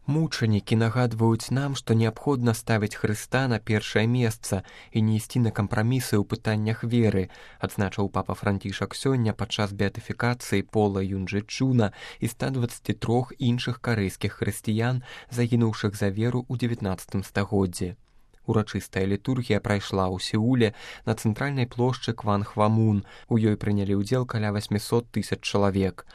Мучанікі нагадваюць нам, што неабходна ставіць Хрыста на першае месца і не ісці на кампрамісы ў пытаннях веры, адзначыў папа Францішак сёння падчас беатыфікацыі Пола Юнджэ-Чуна і 123 іншых карэйскіх хрысціян, загінуўшых за веру ў 19 стагоддзі. Урачыстая літургія прайшла ў Сеуле на цэнтральнай плошчы Кван-Хвамун. У ёй прынялі ўдзел каля 800 000 чалавек.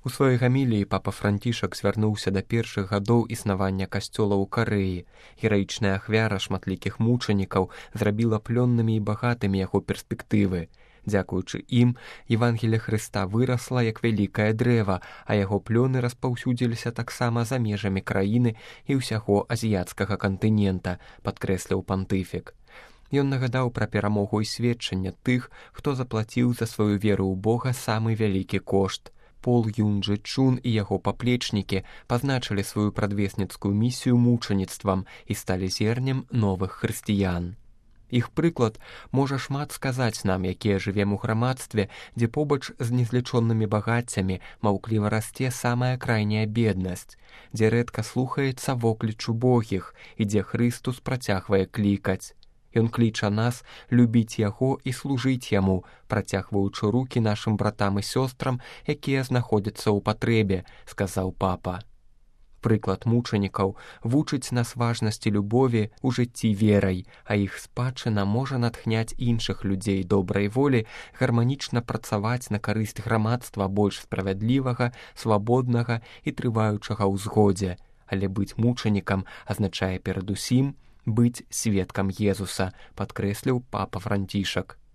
У сваёй гаміліі папа Францішак звярнуўся да першых гадоў існавання касцёла ў Карэі. Гераічная ахвяра шматлікіх мучанікаў зрабіла плённымі і багатымі яго перспектывы. Дзякуючы ім, Евангелие Хрыста вырасла як вялікае дрэва, а яго плёны распаўсюдзіліся таксама за межамі краіны і ўсяго азіяцкага кантынента, падкрэсліў пантыфік. Ён нагадаў пра перамогу і сведчанне тых, хто заплаціў за сваю веру ў Бога самы вялікі кошт. Пол Юнджэ-Чун і яго паплечнікі пазначылі сваю прадвесніцкую місію мучаніцтвам і сталі зернем новых хрысціян. Іх прыклад можа шмат сказаць нам, якія жывем у грамадстве, дзе побач з незлічонымі багаццямі маўкліва расце самая крайняя беднасць, дзе рэдка слухаецца вокліч убогіх і дзе Хрыстус працягвае клікаць. Ён кліча нас любіць яго і служыць яму, працягваючы рукі нашым братам і сёстрам, якія знаходзяцца ў патрэбе, сказаў папа. Прыклад мучанікаў вучыць нас важнасці любові ў жыцці верай, а іх спадчына можа натхняць іншых людзей добрай волі гарманічна працаваць на карысць грамадства больш справядлівага, свабоднага і трываючага ў згодзе. Але быць мучанікам азначае перадусім быць сведкам Езуса, падкрэсліў папа Францішак.